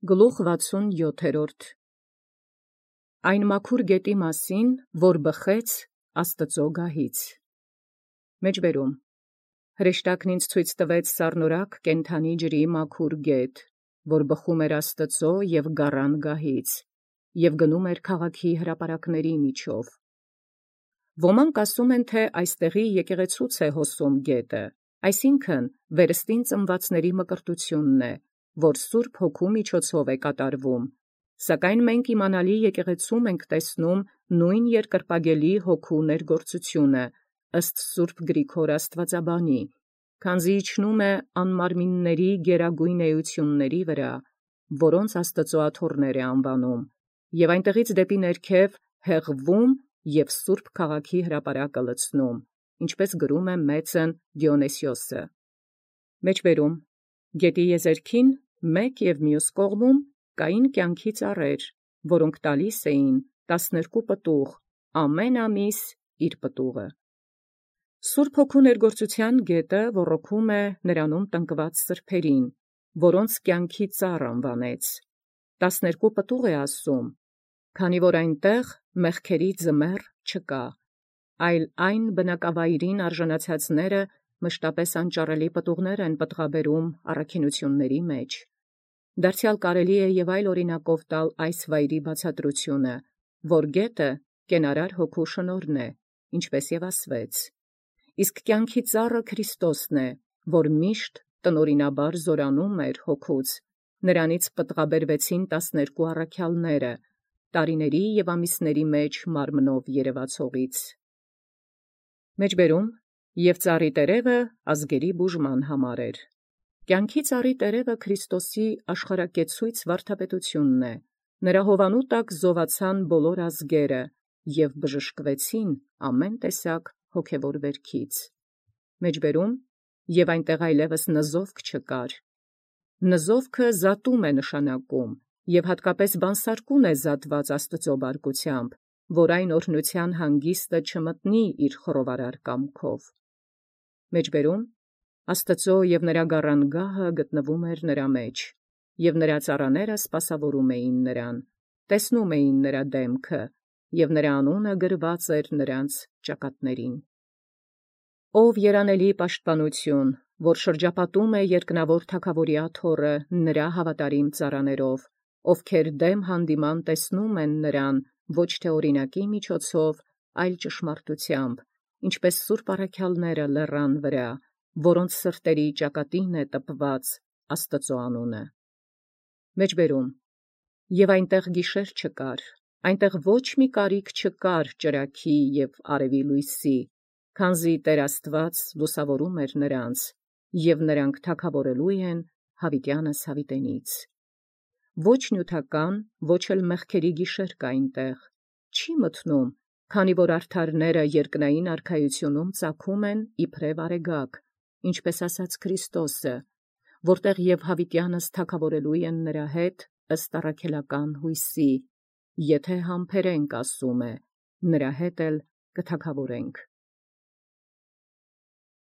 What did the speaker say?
Գլուխ 67 Այն մաքուր գետի մասին, որ բխեց Աստծո գահից։ Մեջբերում հրեշտակն ինձ ցույց տվեց սառնորակ կենդանի ջրի մաքուր գետ, որ բխում էր Աստծո և գառան գահից, և գնում էր քաղաքի հրապարակների միջով։ Ոմանք ասում են, թե այստեղի եկեղեցուց է հոսում գետը, այսինքն վերստին ծնվածների մկրտությունն է, որ Սուրբ Հոգու միջոցով է կատարվում, սակայն մենք իմանալի եկեղեցում ենք տեսնում նույն երկրպագելի Հոգու ներգործությունը, ըստ Սուրբ Գրիգոր Աստվածաբանի, քանզի իջնում է անմարմինների գերագույն էությունների վրա, որոնց Աստծո աթոռներ է անվանում, և այնտեղից դեպի ներքև հեղվում և Սուրբ քաղաքի հրապարակը լցնում, ինչպես գրում է մեծն Դիոնիսիոսը։ Մեջբերում գետի եզերքին մեկ և մյուս կողմում կային կյանքի ծառեր, որոնք տալիս էին 12 պտուղ, ամեն ամիս իր պտուղը։ Սուրբ Հոգու ներգործության գետը ոռոգում է նրանում տնկված սրբերին, որոնց կյանքի ծառ անվանեց։ 12 պտուղ է ասում, քանի որ այնտեղ մեղքերի ձմեռ չկա, այլ այն բնակավայրին արժանացածները մշտապես անճառելի պտուղներ են պտղաբերում առաքինությունների մեջ։ Դարձյալ կարելի է և այլ օրինակով տալ այս վայրի բացատրությունը, որ գետը կենարար Հոգու շնորհն է, ինչպես և ասվեց։ Իսկ կյանքի ծառը Քրիստոսն է, որ միշտ տնօրինաբար զորանում էր Հոգուց, նրանից պտղաբերվեցին 12 առաքյալները, տարիների և ամիսների մեջ մարմնով երևացողից։ Մեջբերում և ծառի տերևը ազգերի բուժման համար էր։ Կյանքի ծառի տերևը Քրիստոսի աշխարհակեցույց վարդապետությունն է, նրա հովանու տակ զովացան բոլոր ազգերը և բժշկվեցին ամեն տեսակ հոգևոր վերքից։ Մեջբերում և այնտեղ այլևս նզովք չկար։ Նզովքը զատում է նշանակում, և հատկապես բանսարկուն է զատված Աստծո բարկությամբ, որ այն օրհնության հանգիստը չմտնի իր խռովարար կամքով։ Մեջբերում Աստծո և նրա գառան գահը գտնվում էր նրա մեջ, և նրա ծառաները սպասավորում էին նրան, տեսնում էին նրա դեմքը, և նրա անունը գրված էր նրանց ճակատներին։ Ով երանելի պաշտպանություն, որ շրջապատում է երկնավոր թագավորի աթոռը նրա հավատարիմ ծառաներով, ովքեր դեմ հանդիման տեսնում են նրան ոչ թե օրինակի միջոցով, այլ ճշմարտությամբ, ինչպես սուրբ առաքյալները լեռան վրա, որոնց սրտերի ճակատին է տպված Աստծո անունը։ Մեջբերում և այնտեղ գիշեր չկար, այնտեղ ոչ մի կարիք չկար ճրագի և արևի լույսի, քանզի Տեր Աստված լուսավորում էր նրանց, և նրանք թագավորելու են հավիտյանս հավիտենից։ Ոչ նյութական, ոչ էլ մեղքերի գիշեր կա այնտեղ, չի մթնում, քանի որ արդարները երկնային արքայությունում ծագում են իբրև արեգակ, ինչպես ասաց Քրիստոսը, որտեղ և հավիտյանս թագավորելու են նրա հետ ըստ առաքելական հույսի, եթե համբերենք, ասում է, նրա հետ էլ կթագավորենք։